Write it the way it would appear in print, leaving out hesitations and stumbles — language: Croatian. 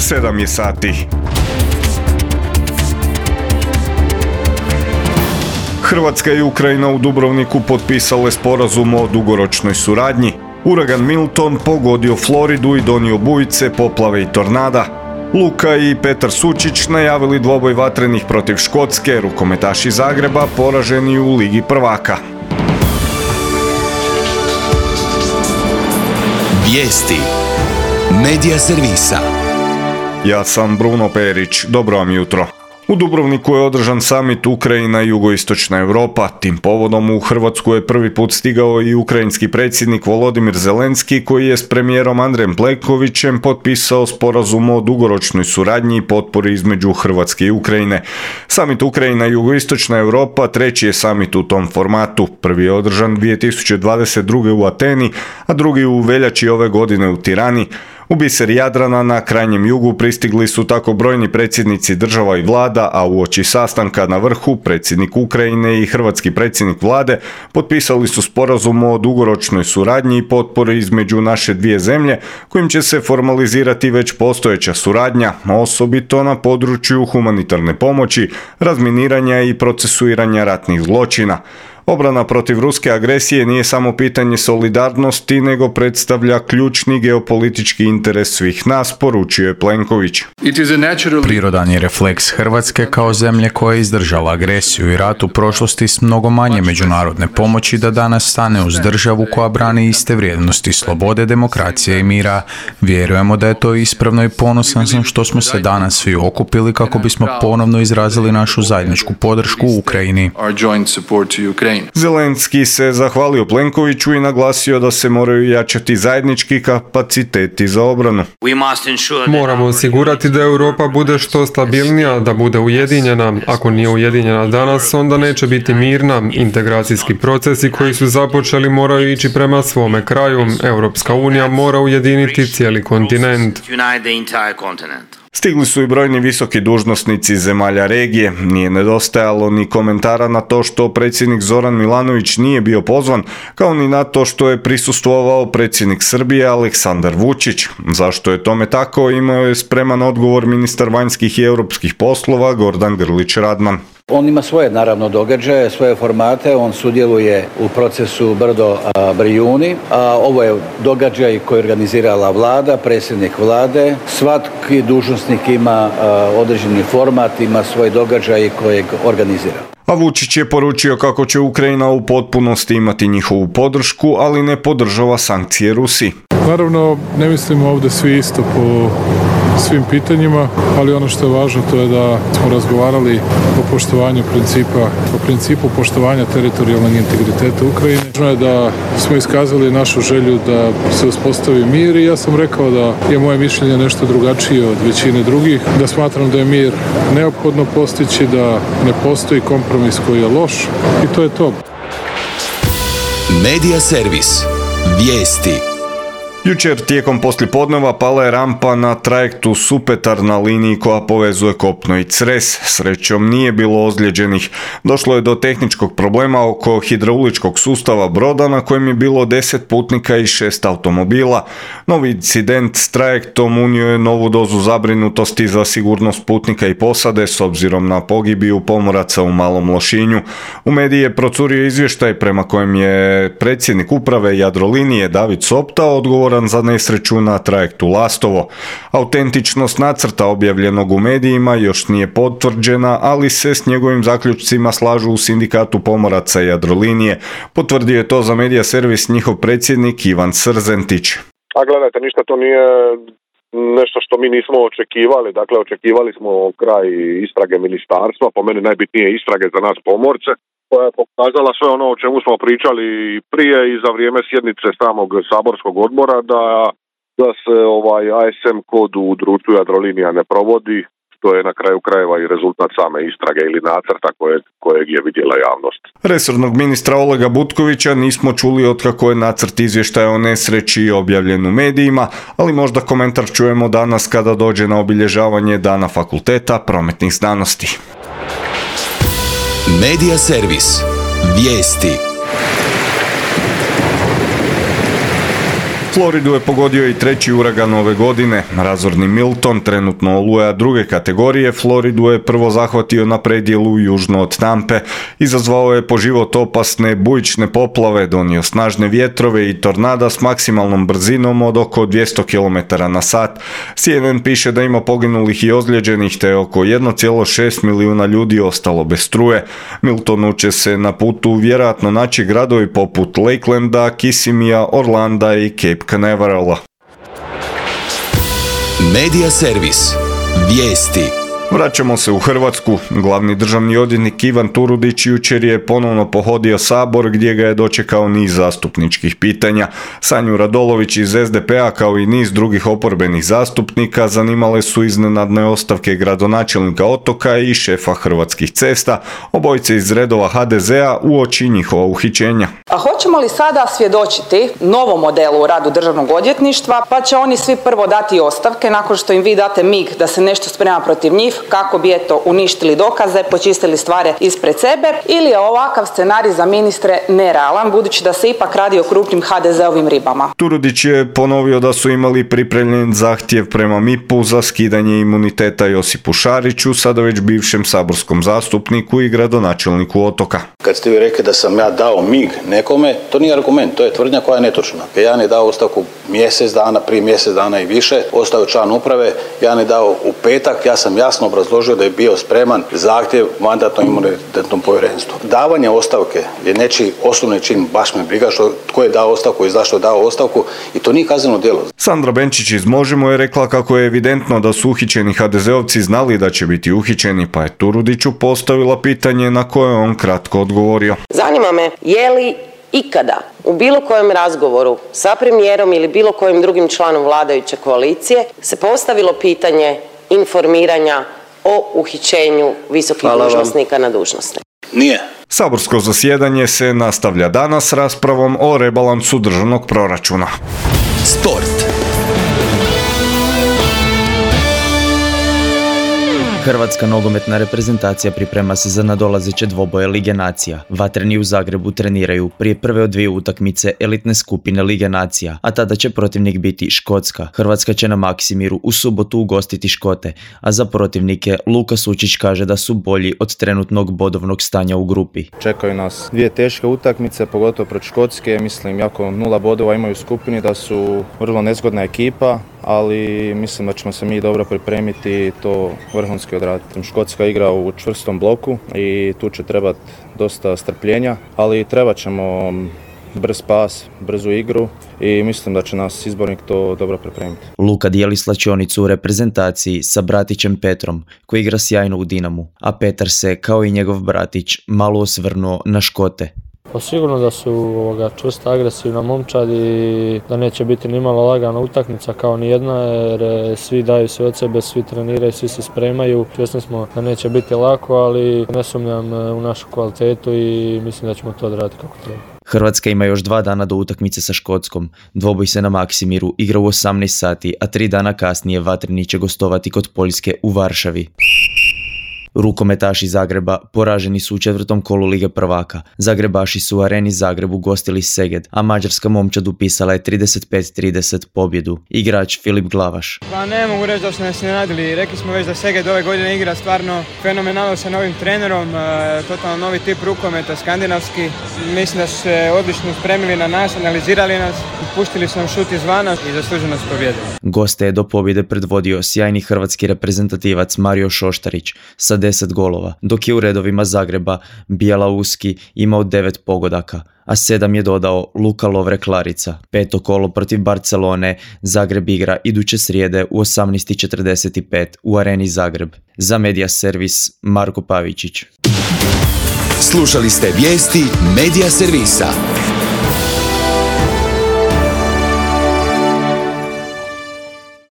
7 je sati. Hrvatska i Ukrajina u Dubrovniku potpisale sporazum o dugoročnoj suradnji. Uragan Milton pogodio Floridu i donio bujice, poplave i tornada. Luka i Petar Sučić najavili dvoboj vatrenih protiv Škotske, rukometaši Zagreba poraženi u Ligi prvaka. Vijesti Medija servisa. Ja sam Bruno Perić, dobro vam jutro. U Dubrovniku je održan samit Ukrajina i jugoistočna Europa. Tim povodom u Hrvatsku je prvi put stigao i ukrajinski predsjednik Volodimir Zelenski, koji je s premijerom Andrejem Plenkovićem potpisao sporazum o dugoročnoj suradnji i potpori između Hrvatske i Ukrajine. Samit Ukrajina i jugoistočna Europa treći je samit u tom formatu. Prvi je održan 2022. u Ateni, a drugi u veljači ove godine u Tirani. U biser Jadrana na krajnjem jugu pristigli su tako brojni predsjednici država i vlada, a uoči sastanka na vrhu predsjednik Ukrajine i hrvatski predsjednik vlade potpisali su sporazum o dugoročnoj suradnji i potpori između naše dvije zemlje, kojim će se formalizirati već postojeća suradnja, osobito na području humanitarne pomoći, razminiranja i procesuiranja ratnih zločina. Obrana protiv ruske agresije nije samo pitanje solidarnosti, nego predstavlja ključni geopolitički interes svih nas, poručio je Plenković. Prirodan je refleks Hrvatske kao zemlje koja je izdržala agresiju i rat u prošlosti s mnogo manje međunarodne pomoći da danas stane uz državu koja brani iste vrijednosti slobode, demokracije i mira. Vjerujemo da je to ispravno i ponosan sam što smo se danas svi okupili kako bismo ponovno izrazili našu zajedničku podršku Ukrajini. Zelenski se zahvalio Plenkoviću i naglasio da se moraju jačati zajednički kapaciteti za obranu. Moramo osigurati da Europa bude što stabilnija, da bude ujedinjena. Ako nije ujedinjena danas, onda neće biti mirna. Integracijski procesi koji su započeli moraju ići prema svome kraju. Europska unija mora ujediniti cijeli kontinent. Stigli su i brojni visoki dužnosnici zemalja regije. Nije nedostajalo ni komentara na to što predsjednik Zoran Milanović nije bio pozvan, kao ni na to što je prisustvovao predsjednik Srbije Aleksandar Vučić. Zašto je tome tako, imao je spreman odgovor ministar vanjskih i europskih poslova Gordan Grlić Radman. On ima svoje, naravno, događaje, svoje formate, on sudjeluje u procesu Brdo Brijuni, a ovo je događaj koji je organizirala vlada, predsjednik vlade. Svaki dužnosnik ima određeni format, ima svoj događaj kojeg organizira. A Vučić je poručio kako će Ukrajina u potpunosti imati njihovu podršku, ali ne podržava sankcije Rusiji. Naravno, ne mislimo ovdje svi isto po svim pitanjima, ali ono što je važno to je da smo razgovarali o poštovanju principu poštovanja teritorijalnog integriteta Ukrajine. Važno je da smo iskazali našu želju da se uspostavi mir i ja sam rekao da je moje mišljenje nešto drugačije od većine drugih, da smatram da je mir neophodno postići, da ne postoji kompromis koji je loš i to je to. Medija servis. Vijesti. Jučer tijekom poslijepodneva pala je rampa na trajektu Supetar na liniji koja povezuje Kopno i Cres. Srećom nije bilo ozlijeđenih. Došlo je do tehničkog problema oko hidrauličkog sustava broda na kojem je bilo 10 putnika i 6 automobila. Novi incident s trajektom unio je novu dozu zabrinutosti za sigurnost putnika i posade s obzirom na pogibiju pomoraca u Malom Lošinju. U mediji je procurio izvještaj prema kojem je predsjednik uprave Jadrolinije David Sopta odgovoran za nesreću na trajektu Lastovo. Autentičnost nacrta objavljenog u medijima još nije potvrđena, ali se s njegovim zaključcima slažu u sindikatu pomoraca Jadrolinije. Potvrdio je to za medija servis njihov predsjednik Ivan Srzentić. A gledajte, ništa to nije nešto što mi nismo očekivali. Dakle, očekivali smo kraj istrage ministarstva, po meni najbitnije istrage za nas pomorce, koja je pokazala sve ono o čemu smo pričali prije i za vrijeme sjednice samog saborskog odbora, da se ASM kod u društvu Jadrolinija ne provodi, što je na kraju krajeva i rezultat same istrage ili nacrta kojeg je vidjela javnost. Resornog ministra Olega Butkovića nismo čuli otkako je nacrt izvještaja o nesreći objavljen u medijima, ali možda komentar čujemo danas kada dođe na obilježavanje Dana Fakulteta prometnih znanosti. Medija servis. Vijesti. Floridu je pogodio i treći uragan ove godine. Razorni Milton, trenutno oluja druge kategorije, Floridu je prvo zahvatio na predjelu južno od Tampe. Izazvao je po život opasne bujične poplave, donio snažne vjetrove i tornada s maksimalnom brzinom od oko 200 km na sat. CNN piše da ima poginulih i ozlijeđenih, te oko 1,6 milijuna ljudi ostalo bez struje. Miltonu će se na putu vjerojatno naći gradovi poput Lakelanda, Kissimija, Orlanda i Cape Canaverala. Medija servis. Vijesti. Vraćamo se u Hrvatsku. Glavni državni odvjetnik Ivan Turudić jučer je ponovno pohodio Sabor gdje ga je dočekao niz zastupničkih pitanja. Sanju Radolović iz SDP-a kao i niz drugih oporbenih zastupnika zanimale su iznenadne ostavke gradonačelnika Otoka i šefa Hrvatskih cesta, obojice iz redova HDZ-a uoči njihova uhićenja. A hoćemo li sada svjedočiti novom modelu u radu državnog odvjetništva, pa će oni svi prvo dati ostavke nakon što im vi date mig da se nešto sprema protiv njih, kako bi uništili dokaze, počistili stvari ispred sebe, ili je ovakav scenarij za ministre nerealan, budući da se ipak radi o krupnim HDZ-ovim ribama? Turudić je ponovio da su imali pripremljen zahtjev prema MIP-u za skidanje imuniteta Josipu Šariću, sada već bivšem saborskom zastupniku i gradonačelniku Otoka. Kad ste vi rekli da sam ja dao mig nekome, to nije argument, to je tvrdnja koja je netočna. Jan je dao ostavku prije mjesec dana i više, ostao je član uprave, Jan je dao u petak, ja sam jasno obrazložio da je bio spreman zahtjev Mandatno-imunitetnom povjerenstvu. Davanje ostavke je nečiji osnovni čin, baš me briga tko je dao ostavku i zašto je dao ostavku, i to nije kazneno djelo. Sandra Benčić iz Možemo je rekla kako je evidentno da su uhićeni HDZ-ovci znali da će biti uhićeni, pa je Turudiću postavila pitanje na koje on kratko odgovorio. Zanima me, je li ikada u bilo kojem razgovoru sa premijerom ili bilo kojim drugim članom vladajuće koalicije se postavilo pitanje informiranja o uhićenju visokih dužnosnika na dužnosti? Nije. Saborsko zasjedanje se nastavlja danas raspravom o rebalansu državnog proračuna. Sport. Hrvatska nogometna reprezentacija priprema se za nadolazeće dvoboje Lige nacija. Vatreni u Zagrebu treniraju prije prve od dvije utakmice elitne skupine Lige nacija, a tada će protivnik biti Škotska. Hrvatska će na Maksimiru u subotu ugostiti Škote, a za protivnike Luka Sučić kaže da su bolji od trenutnog bodovnog stanja u grupi. Čekaju nas dvije teške utakmice, pogotovo protiv Škotske. Mislim, jako 0 bodova imaju u skupini, da su vrlo nezgodna ekipa, ali mislim da ćemo se mi dobro pripremiti i to vrhunski odraditi. Škotska igra u čvrstom bloku i tu će trebati dosta strpljenja, ali trebat ćemo brz pas, brzu igru i mislim da će nas izbornik to dobro pripremiti. Luka dijeli slačionicu u reprezentaciji sa bratićem Petrom, koji igra sjajno u Dinamu, a Petar se, kao i njegov bratić, malo osvrnuo na Škote. Pa sigurno da su čvrsta, agresivna momčad i da neće biti nimalo lagana utakmica kao ni jedna, jer svi daju sve od sebe, svi treniraju, svi se spremaju. Svjesni smo da neće biti lako, ali ne sumnjam u našu kvalitetu i mislim da ćemo to odraditi kako treba. Hrvatska ima još 2 dana do utakmice sa Škotskom. Dvoboj se na Maksimiru igra u 18 sati, a 3 dana kasnije Vatreni će gostovati kod Poljske u Varšavi. Rukometaši Zagreba poraženi su u 4. kolu Lige prvaka. Zagrebaši su u Areni Zagreb ugostili Szeged, a mađarska momčad upisala je 35-30 pobjedu. Igrač Filip Glavaš. Pa ne mogu reći da su nas iznenadili. Rekli smo već da Szeged ove godine igra stvarno fenomenalno sa novim trenerom, totalno novi tip rukometa, skandinavski. Mislim da su se odlično spremili na nas, analizirali nas, pustili su nam šut izvana i zasluženo su pobjedili. Goste je do pobjede predvodio sjajni hrvatski reprezentativac Mario Šoštarić sa 10 golova, dok je u redovima Zagreba Bijela-Uski imao 9 pogodaka, a 7 je dodao Luka Lovre-Klarica. 5. kolo protiv Barcelone Zagreb igra iduće srijede u 18:45 u Areni Zagreb. Za Medija servis Marko Pavičić. Slušali ste vijesti Medija servisa.